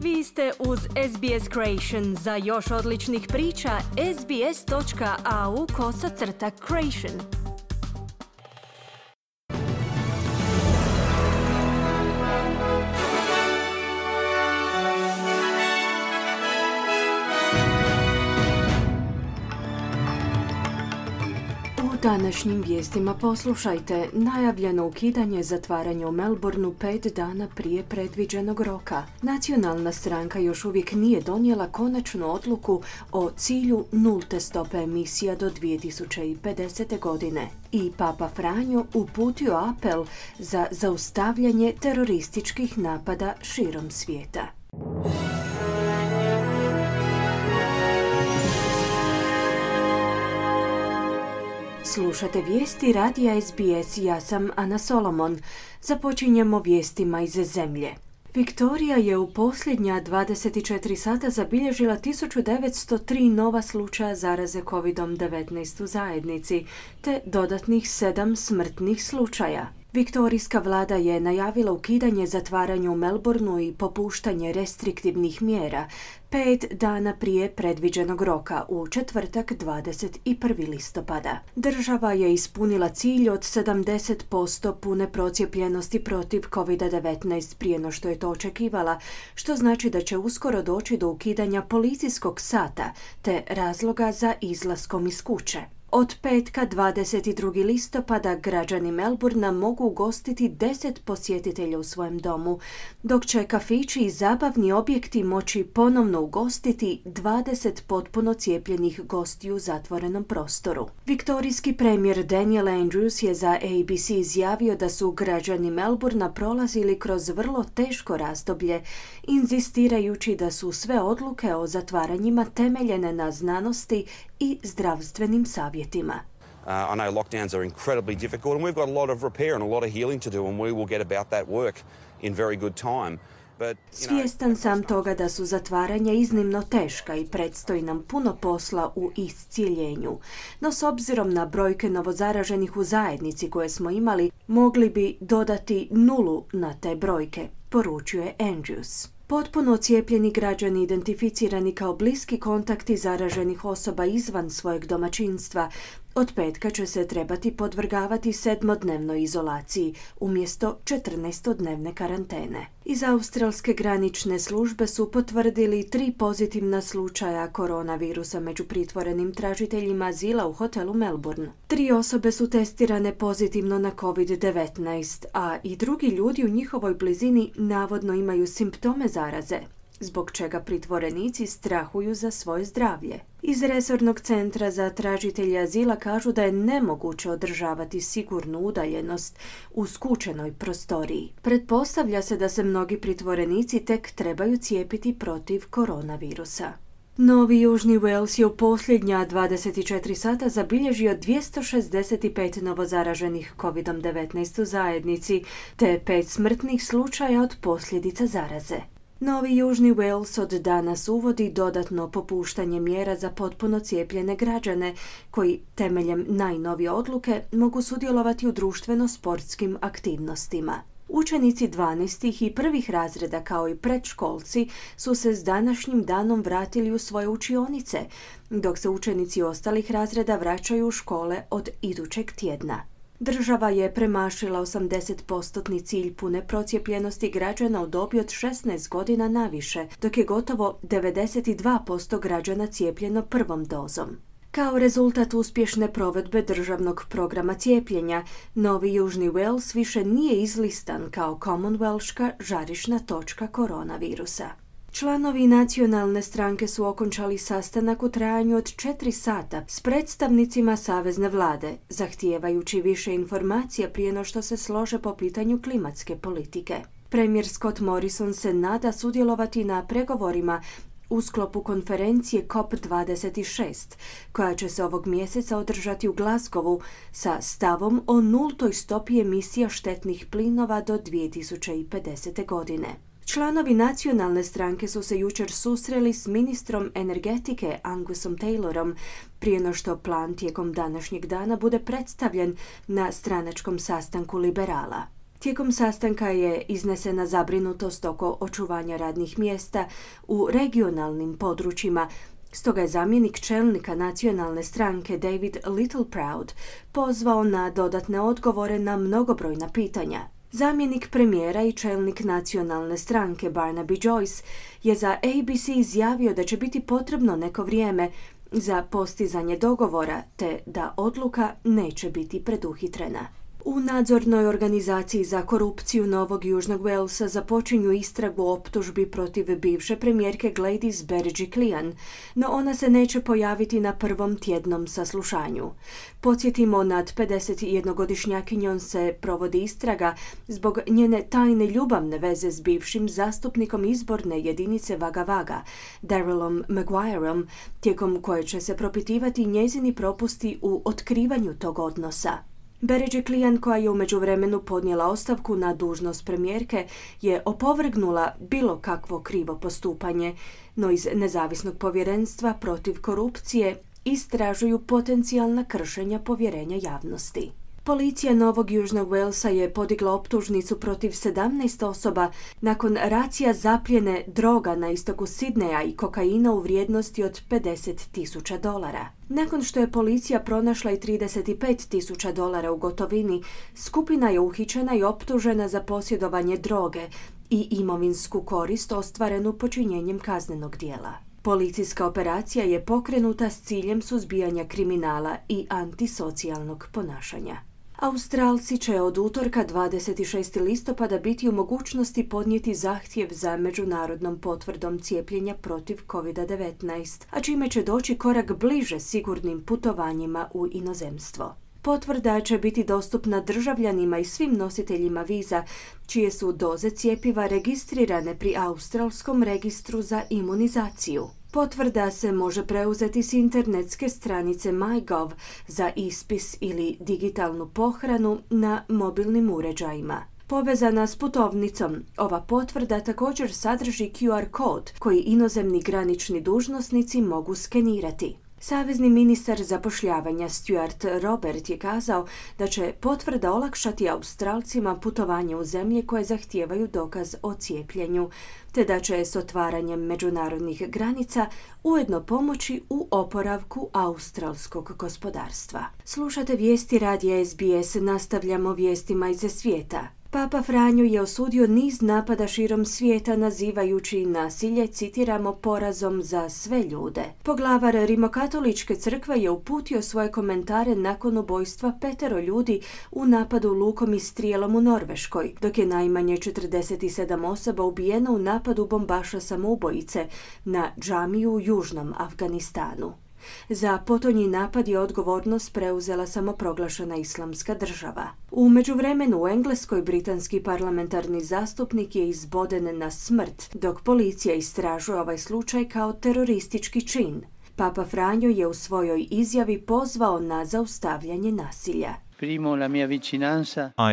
Vi ste uz SBS Creation. Za još odličnih priča, sbs.au/creation. U današnjim vijestima poslušajte najavljeno ukidanje zatvaranja u Melbourneu 5 dana prije predviđenog roka. Nacionalna stranka još uvijek nije donijela konačnu odluku o cilju nulte stope emisija do 2050. godine. I Papa Franjo uputio apel za zaustavljanje terorističkih napada širom svijeta. Slušate vijesti radija SBS, ja sam Ana Solomon. Započinjemo vijestima iz zemlje. Viktorija je u posljednja 24 sata zabilježila 1903 nova slučaja zaraze COVID-19 u zajednici, te dodatnih 7 smrtnih slučaja. Viktorijska vlada je najavila ukidanje zatvaranja u Melbourneu i popuštanje restriktivnih mjera 5 dana prije predviđenog roka u četvrtak 21. listopada. Država je ispunila cilj od 70% pune procijepljenosti protiv COVID-19 prije no što je to očekivala, što znači da će uskoro doći do ukidanja policijskog sata te razloga za izlaskom iz kuće. Od petka 22. listopada građani Melbournea mogu ugostiti 10 posjetitelja u svojem domu, dok će kafići i zabavni objekti moći ponovno ugostiti 20 potpuno cijepljenih gostiju u zatvorenom prostoru. Viktorijski premijer Daniel Andrews je za ABC izjavio da su građani Melbournea prolazili kroz vrlo teško razdoblje, inzistirajući da su sve odluke o zatvaranjima temeljene na znanosti i zdravstvenim savjetima. I know lockdowns are incredibly difficult and we've got a lot of repair and a lot of healing to do and we will get about that work in very good time. Svjestan sam toga da su zatvaranja iznimno teška i predstoji nam puno posla u iscijeljenju. No s obzirom na brojke novozaraženih u zajednici koje smo imali, mogli bi dodati 0 na te brojke, poručuje Andrews. Potpuno cijepljeni građani identificirani kao bliski kontakti zaraženih osoba izvan svojeg domaćinstva od petka će se trebati podvrgavati 7-dnevnoj izolaciji umjesto 14-dnevne karantene. Iz australske granične službe su potvrdili 3 pozitivna slučaja koronavirusa među pritvorenim tražiteljima azila u hotelu Melbourne. 3 osobe su testirane pozitivno na COVID-19, a i drugi ljudi u njihovoj blizini navodno imaju simptome zaraze, zbog čega pritvorenici strahuju za svoje zdravlje. Iz resornog centra za tražitelje azila kažu da je nemoguće održavati sigurnu udaljenost u skučenoj prostoriji. Pretpostavlja se da se mnogi pritvorenici tek trebaju cijepiti protiv koronavirusa. Novi Južni Wales je u posljednja 24 sata zabilježio 265 novozaraženih COVID-19 u zajednici, te 5 smrtnih slučaja od posljedica zaraze. Novi Južni Wales od danas uvodi dodatno popuštanje mjera za potpuno cijepljene građane koji temeljem najnovije odluke mogu sudjelovati u društveno-sportskim aktivnostima. Učenici 12. i prvih razreda kao i predškolci su se s današnjim danom vratili u svoje učionice, dok se učenici ostalih razreda vraćaju u škole od idućeg tjedna. Država je premašila 80% cilj pune procijepljenosti građana u dobi od 16 godina naviše, dok je gotovo 92% građana cijepljeno prvom dozom. Kao rezultat uspješne provedbe državnog programa cijepljenja, Novi Južni Wales više nije izlistan kao Commonwealthška žarišna točka koronavirusa. Članovi nacionalne stranke su okončali sastanak u trajanju od 4 sata s predstavnicima savezne vlade, zahtijevajući više informacija prije no što se slože po pitanju klimatske politike. Premijer Scott Morrison se nada sudjelovati na pregovorima u sklopu konferencije COP26, koja će se ovog mjeseca održati u Glasgowu sa stavom o nultoj stopi emisija štetnih plinova do 2050. godine. Članovi nacionalne stranke su se jučer susreli s ministrom energetike Angusom Taylorom prije no što plan tijekom današnjeg dana bude predstavljen na stranačkom sastanku liberala. Tijekom sastanka je iznesena zabrinutost oko očuvanja radnih mjesta u regionalnim područjima. Stoga je zamjenik čelnika nacionalne stranke David Littleproud pozvao na dodatne odgovore na mnogobrojna pitanja. Zamjenik premijera i čelnik nacionalne stranke Barnaby Joyce je za ABC izjavio da će biti potrebno neko vrijeme za postizanje dogovora te da odluka neće biti preduhitrena. U nadzornoj organizaciji za korupciju Novog Južnog Walesa započinju istragu o optužbi protiv bivše premijerke Gladys Berejiklian, no ona se neće pojaviti na prvom tjednom saslušanju. Podsjetimo, nad 51-godišnjakinjom se provodi istraga zbog njene tajne ljubavne veze s bivšim zastupnikom izborne jedinice Wagga Wagga, Darrellom Maguireom, tijekom koje će se propitivati njezini propusti u otkrivanju tog odnosa. Berejiklian, koja je u međuvremenu podnijela ostavku na dužnost premijerke, je opovrgnula bilo kakvo krivo postupanje, no iz nezavisnog povjerenstva protiv korupcije istražuju potencijalna kršenja povjerenja javnosti. Policija Novog Južnog Walesa je podigla optužnicu protiv 17 osoba nakon racija zapljene droga na istoku Sidneja i kokaina u vrijednosti od $50,000. Nakon što je policija pronašla i $35,000 u gotovini, skupina je uhićena i optužena za posjedovanje droge i imovinsku korist ostvarenu počinjenjem kaznenog djela. Policijska operacija je pokrenuta s ciljem suzbijanja kriminala i antisocijalnog ponašanja. Australci će od utorka 26. listopada biti u mogućnosti podnijeti zahtjev za međunarodnom potvrdom cijepljenja protiv COVID-19, a čime će doći korak bliže sigurnim putovanjima u inozemstvo. Potvrda će biti dostupna državljanima i svim nositeljima viza čije su doze cjepiva registrirane pri Australskom registru za imunizaciju. Potvrda se može preuzeti s internetske stranice MyGov za ispis ili digitalnu pohranu na mobilnim uređajima. Povezana s putovnicom, ova potvrda također sadrži QR kod koji inozemni granični dužnosnici mogu skenirati. Savezni ministar zapošljavanja Stuart Robert je kazao da će potvrda olakšati Australcima putovanje u zemlje koje zahtijevaju dokaz o cijepljenju, te da će s otvaranjem međunarodnih granica ujedno pomoći u oporavku australskog gospodarstva. Slušate vijesti radija SBS, nastavljamo vijestima iz svijeta. Papa Franjo je osudio niz napada širom svijeta nazivajući nasilje, citiramo, porazom za sve ljude. Poglavar Rimokatoličke crkve je uputio svoje komentare nakon ubojstva 5 ljudi u napadu lukom i strijelom u Norveškoj, dok je najmanje 47 osoba ubijeno u napadu bombaša samoubojice na džamiju u južnom Afganistanu. Za potonji napad je odgovornost preuzela samoproglašena Islamska država. U međuvremenu u Engleskoj britanski parlamentarni zastupnik je izboden na smrt, dok policija istražuje ovaj slučaj kao teroristički čin. Papa Franjo je u svojoj izjavi pozvao na zaustavljanje nasilja. I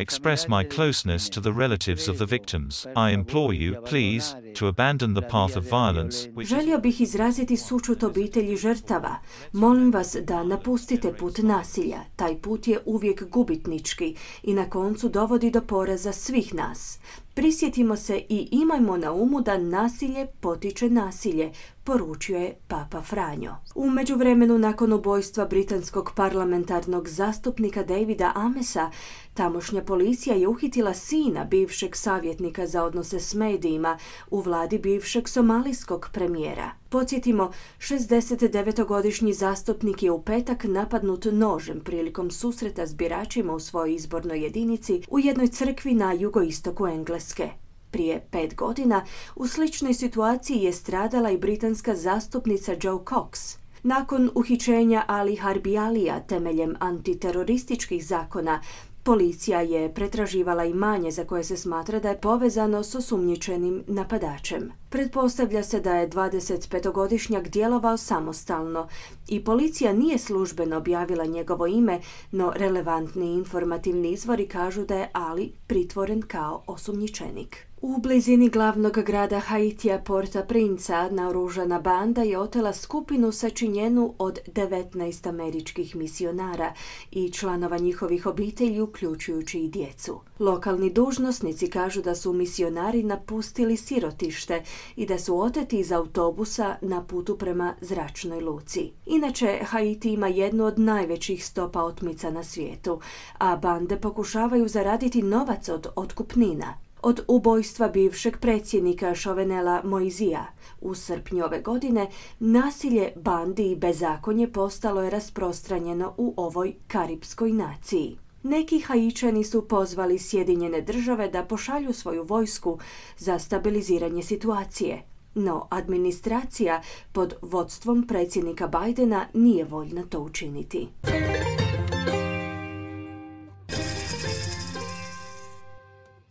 express my closeness to the relatives of the victims. I implore you, please, to abandon the path of violence. Želio bih izraziti sućut obitelji žrtava. Molim vas da napustite put nasilja. Taj put je uvijek gubitnički i na koncu dovodi do poraza svih nas. Prisjetimo se i imajmo na umu da nasilje potiče nasilje, poručio je Papa Franjo. U međuvremenu, nakon ubojstva britanskog parlamentarnog zastupnika Davida Amessa, tamošnja policija je uhitila sina bivšeg savjetnika za odnose s medijima u vladi bivšeg somalijskog premijera. Podsjetimo, 69-godišnji zastupnik je u petak napadnut nožem prilikom susreta s biračima u svojoj izbornoj jedinici u jednoj crkvi na jugoistoku Engleske. Prije 5 godina u sličnoj situaciji je stradala i britanska zastupnica Jo Cox. Nakon uhićenja Ali Harbi Alija temeljem antiterorističkih zakona, policija je pretraživala imanje za koje se smatra da je povezano s osumnjičenim napadačem. Pretpostavlja se da je 25-godišnjak djelovao samostalno i policija nije službeno objavila njegovo ime, no relevantni informativni izvori kažu da je Ali pritvoren kao osumnjičenik. U blizini glavnog grada Haitija Port-au-Prince naoružana banda je otela skupinu sačinjenu od 19 američkih misionara i članova njihovih obitelji, uključujući i djecu. Lokalni dužnosnici kažu da su misionari napustili sirotište i da su oteti iz autobusa na putu prema zračnoj luci. Inače, Haiti ima jednu od najvećih stopa otmica na svijetu, a bande pokušavaju zaraditi novac od otkupnina. Od ubojstva bivšeg predsjednika Jovenela Moizea u srpnju ove godine, nasilje bandi i bezakonje postalo je rasprostranjeno u ovoj karipskoj naciji. Neki Haičani su pozvali Sjedinjene Države da pošalju svoju vojsku za stabiliziranje situacije, no administracija pod vodstvom predsjednika Bidena nije voljna to učiniti.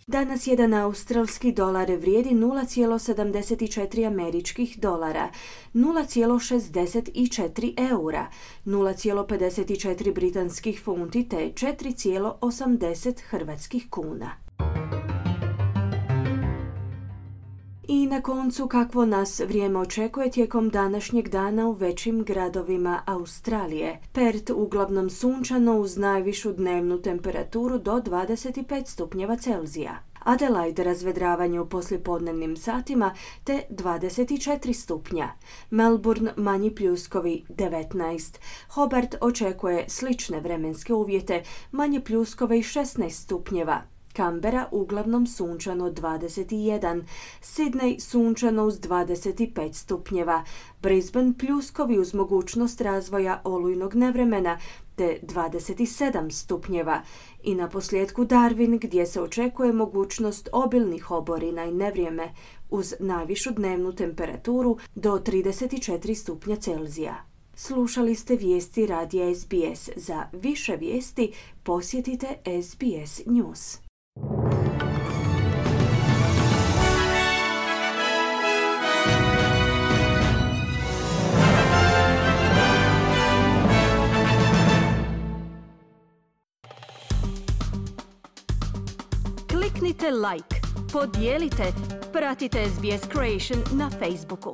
Danas jedan australski dolar vrijedi 0,74 američkih dolara, 0,64 eura, 0,54 britanskih funti te 4,80 hrvatskih kuna. I na koncu, kakvo nas vrijeme očekuje tijekom današnjeg dana u većim gradovima Australije. Perth uglavnom sunčano uz najvišu dnevnu temperaturu do 25 stupnjeva Celzija. Adelaide razvedravanje u poslijepodnevnim satima te 24 stupnja. Melbourne manji pljuskovi 19. Hobart očekuje slične vremenske uvjete, manje pljuskove i 16 stupnjeva. Canberra uglavnom sunčano 21, Sydney sunčano uz 25 stupnjeva, Brisbane pljuskovi uz mogućnost razvoja olujnog nevremena te 27 stupnjeva i na posljedku Darwin gdje se očekuje mogućnost obilnih oborina i nevrijeme uz najvišu dnevnu temperaturu do 34 stupnja Celzija. Slušali ste vijesti radija SBS. Za više vijesti posjetite SBS News. Kliknite like, podijelite, pratite SBS Creation na Facebooku.